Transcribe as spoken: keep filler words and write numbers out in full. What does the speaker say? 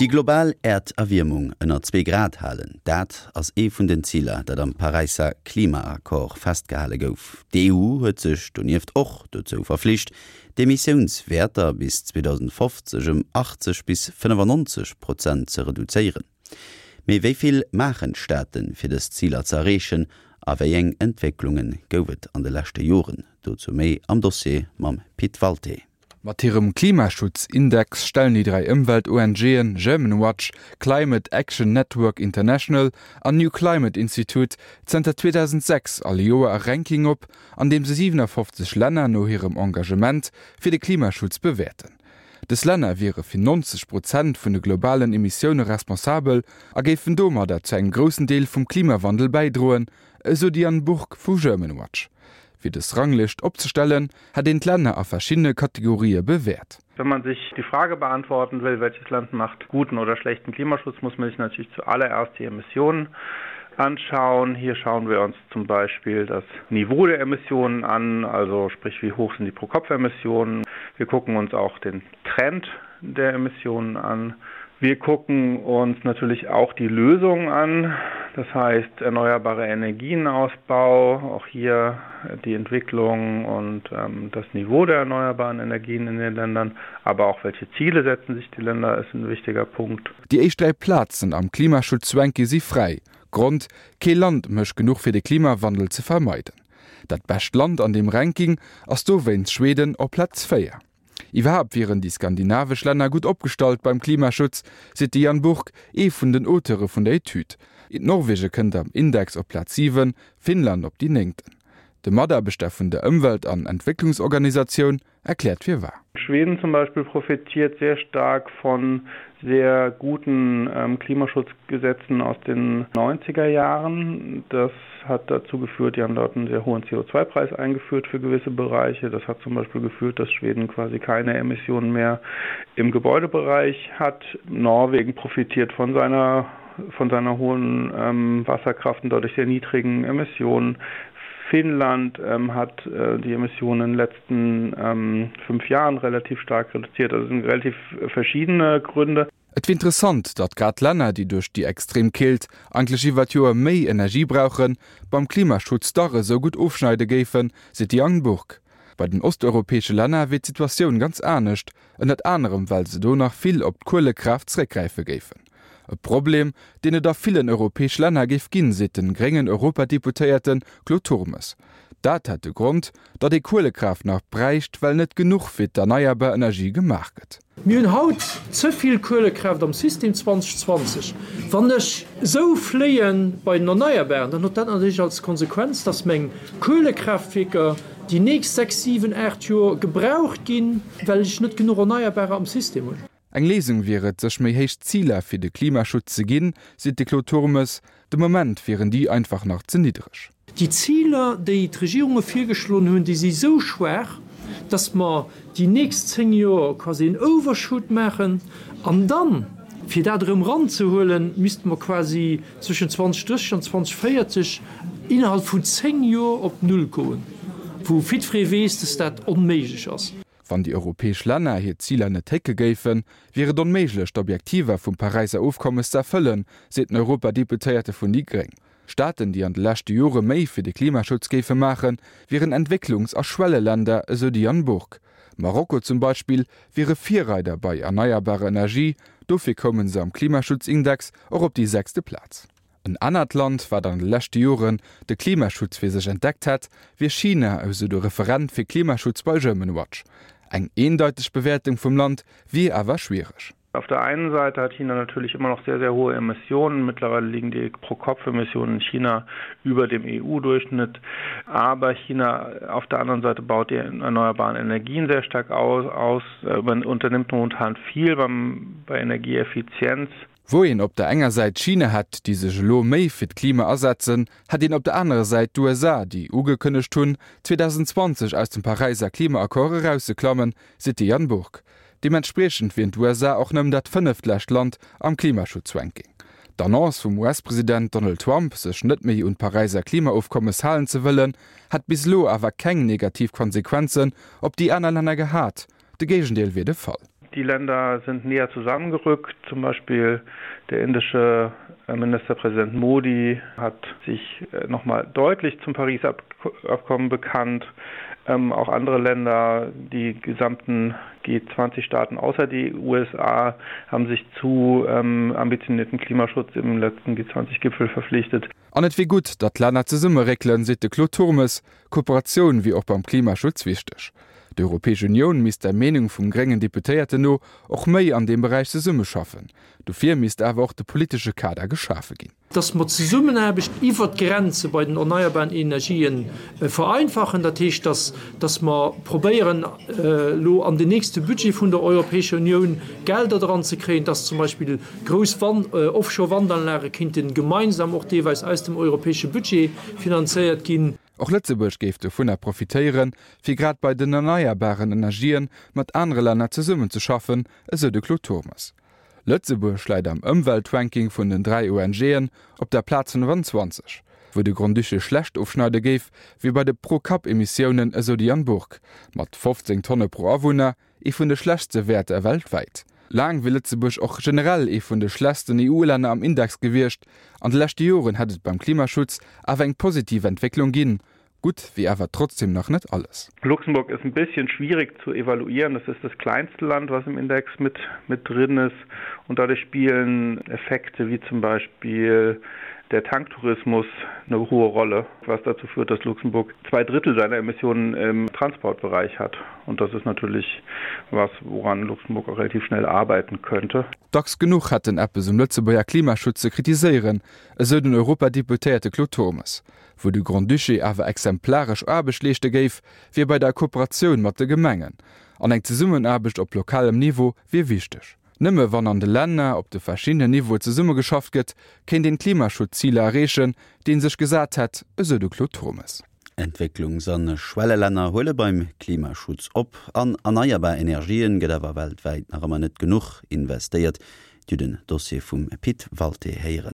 Déi global Äerderwiermung ënner zwee Grad halen, dat ass ee vun den Ziler, dat am Paräisser Klimaaccord festgehale gouf. D'EU huet sech donieft och dozou verflicht, d'Emissiounswäerter bis zweedausendfofzeg ëm achtzeg bis fënnefannonzeg Prozent ze reduzéieren. Mee wéi vill maachen d'Staaten, fir dës Ziler ze erreechen a wéi eng Entwécklunge gouf et an de leschte Joren? Dozou méi am Dossier mam Pit Walté. Mat hirem Klimaschutzindex stellen déi dräi Ëmwelt-ONGen Germanwatch, Climate Action Network International an New Climate Institute zënter zweedausendsechs all Joer e Ranking op, an deem se siwenafofzeg Länner no hirem Engagement fir de Klimaschutz bewäerten. Dës Länner wiere fir neunzeg Prozent vun de globalen Emissioune responsabel a géifen domadder zu engem groussen Deel vum Klimawandel bäidroen, esou d'Diane Bourg vu Germanwatch. Fir dës Ranglëscht opzestellen, hätt een d'Länner a verschiddene Kategorië bewäert. Wenn man sich die Frage beantworten will, welches Land macht guten oder schlechten Klimaschutz, muss man sich natürlich zuallererst die Emissionen anschauen. Hier schauen wir uns zum Beispiel das Niveau der Emissionen an, also sprich wie hoch sind die Pro-Kopf-Emissionen. Wir gucken uns auch den Trend der Emissionen an. Wir gucken uns natürlich auch die Lösungen an, das heißt erneuerbare Energienausbau, auch hier die Entwicklung und, ähm, das Niveau der erneuerbaren Energien in den Ländern, aber auch welche Ziele setzen sich die Länder, ist ein wichtiger Punkt. Déi éischt dräi Plazen am Klimaschutzranking si fräi. Grond, Kee Land mécht genuch fir de Klimawandel ze vermeiden. Dat bescht Land an deem Ranking ass dowéinst Schweden op Plaz véier. Iwwerhaapt wieren déi skandinavesch Länner gutt opgestallt beim Klimaschutz, seet de Jan Burck, ee vun den Auteure vun der Etüd. Norwege kënnt am Index op Plaz siwen, Finnland op déi néngten. De Mataarbechter vun der Ëmwelt an Entwécklungsorganisatioun erkläert firwat. Schweden zum Beispill profitiert sehr stark von sehr guten, ähm, Klimaschutzgesetzen aus den neunziger Jahren. Das hat dazu geführt, die haben dort einen sehr hohen C O zwei Preis eingeführt für gewisse Bereiche. Das hat zum Beispiel geführt, dass Schweden quasi keine Emissionen mehr im Gebäudebereich hat. Norwegen profitiert von seiner, von seiner hohen, ähm, Wasserkraft und dadurch sehr niedrigen Emissionen. Finnland, ähm, hat, äh, die Emissionen in den letzten, ähm, fünf Jahren relativ stark reduziert. Also es sind relativ verschiedene Gründe. Et wier interessant, datt grad Länner, déi duerch déi extrem Keelt eigentlech iwwer d'Joer méi Energie brauchen, beim Klimaschutz dach esou gutt ofschneide géifen, seet de Jan Burck. Bei den osteuropäesche Länner wier d'Situatioun ganz anescht, ënnert anerem well se do nach vill op d'Kuelekraaft zeréckgräife géifen. E Problem, deen et a villen europäesche Länner géif ginn, seet de gréngen Europadeputéierte Claude Turmes. Dat hätt de Grond, datt ee Kuelekraaft nach bräicht, well net genuch fir d'erneierbar Energie gemaach gëtt. Mir hunn haut ze vill Kuelekraaft am System zweedausendzwanzeg. Wann ech esou fléie bei den Erneierbaren, dann huet dat natierlech als Konsequenz, datt meng Kuelekraaftwierker déi nächst sechs, siwen, aacht Joer gebraucht ginn, well ech net genuch Erneierbarer am System hunn. Eng Léisung wier et, sech méi héich Ziler fir de Klimaschutz ze ginn, seet de Claude Turmes. De Moment wieren déi einfach nach ze niddreg. Déi Ziler, déi d'Regierunge virgeschloen hunn, déi si sou schwaach, datt mer déi nächst zéng Joer quasi en Overshoot maachen an dann, fir dat erëm eranzehuelen, misste mer quasi zwëschen zweedausendrësseg an zweedausendvéierzeg innerhalb vun zéng Joer op Null goen, wou jiddweree weess, datt dat onméiglech ass. Wann déi europäesch Länner hir Ziler net hécke géifen, wier et onméiglech, d'Objektiver vum Paräisser Ofkommes ze erfëllen, seet den Europadeputéierte vun déi Gréng. Staaten, déi an de leschte Jore méi fir de Klimaschutz géife maachen, wieren Entwécklungs a Schwelleländer, esou de Jan Burck. Marokko zum Beispill wiere Virreider bei erneierbarer Energie, dofir koume se am Klimaschutzindex och op déi sechste Plaz. En anert Land, wat an de leschte Joren de Klimaschutz fir sech entdeckt hätt, wier China, esou de Referent fir Klimaschutz bei Germanwatch. Eng eendeiteg Bewäertung vum Land wier awer schwiereg. Auf der einen Seite hat China natürlich immer noch sehr, sehr hohe Emissionen. Mittlerweile liegen die Pro-Kopf-Emissionen in China über dem E U-Durchschnitt. Aber China auf der anderen Seite baut die erneuerbaren Energien sehr stark aus, aus, äh, unternimmt momentan viel beim, bei Energieeffizienz. Wou een op der enger Säit China hätt, déi sech elo méi fir d'Klima asetzen, hätt een op der anerer Säit d'U S A, déi ugekënnegt hunn, zweedausendzwanzeg aus dem Paräisser Klimaaccord erausseklammen, seet de Jan Burck. Deementspriechend wieren d'U S A och nëmmen dat fënneftläscht Land am Klimaschutzranking. D'Annonce vum U S-President Donald Trump, sech net méi un d'Paräisser Klimaofkommes halen ze wëllen, hätt bis elo awer keng negativ Konsequenzen op déi aner Länner gehat. De Géigendeel wier de Fall. Die Länder sind näher zusammengerückt. Zum Beispiel der indische äh, Ministerpräsident Modi hat sich äh, noch mal deutlich zum Paris-Abkommen bekannt. Ähm, auch andere Länder, die gesamten G zwanzig Staaten außer die U S A haben sich zu, ähm, ambitionierten Klimaschutz im letzten G zwanzig Gipfel verpflichtet. An et wier gutt, datt d'Länner zesummeréckelen, seet de Claude Turmes. Kooperatioun wier och beim Klimaschutz wichteg. D'Europäesch Unioun misst der Meenung vum gréngen Deputéierten no och méi an deem Beräich zesummeschaffen. Dofir misst awer och de politesche Kader geschafe ginn. Dass mer d'Zesummenaarbecht iwwer d'Grenze bei den erneierbaren Energien vereinfachen, dat heescht, dass, dass mer probéieren, elo an den nächste Budget vun der Europäescher Unioun Gelder dran ze kréien, dass zum Beispill grouss Wand-, Offshore-Wandanlage kinnten gemeinsam och deelweis aus dem europäesche Budget finanzéiert ginn. Och Lëtzebuerg géif dovunner profitéieren, fir grad bei den erneierbaren Energien mat anere Länner zesummenzeschaffen, esou de Claude Turmes. Lëtzebuerg läit am Ëmweltranking vun den dräi O N G'en op der Plaz fënnefenzwanzeg, wou de Grand-Duché schlecht ofschneide géif, wéi bei de Pro-Kapp-Emissiounen, esou de Jan Burck. Mat fofzéng Tonne pro Awunner, ee vun de schlechtste Wäerter weltwäit. Laang wier Lëtzebuerg och generell ee vun de schlechtsten E U-Länner am Index gewiescht. An de leschte Joren hätt et beim Klimaschutz awer eng positiv Entwécklung ginn. Gutt wier awer trotzdem nach net alles. Luxemburg ist ein bisschen schwierig zu evaluieren. Das ist das kleinste Land, was im Index mit, mit drin ist. Und dadurch spielen Effekte wie zum Beispiel der Tanktourismus eine hohe Rolle, was dazu führt, dass Luxemburg zwei Drittel seiner Emissionen im Transportbereich hat. Und das ist natürlich was, woran Luxemburg auch relativ schnell arbeiten könnte. Dacks genuch hätten eppes um Lëtzebuerger Klimaschutz ze kritiséieren, esou den Europadeputéierte Claude Turmes. Wou de Grand-Duché awer exemplaresch Aarbecht leeschte géif, wier bei der Kooperatioun mat de Gemengen. An eng Zesummenaarbecht op lokalem Niveau wier wichteg. Nëmme wann an de Länner op de verschiedenen Niveau zesummegeschafft gëtt, kéint een Klimaschutzziler erreechen, déi een sech gesat hätt, esou de Claude Turmes. Entwécklungs- an Schwellelänner huele beim Klimaschutz op. An erneierbar Energien gëtt awer weltwäit nach ëmmer net genuch investéiert. Dir den Dossier vum Pit Walté héieren.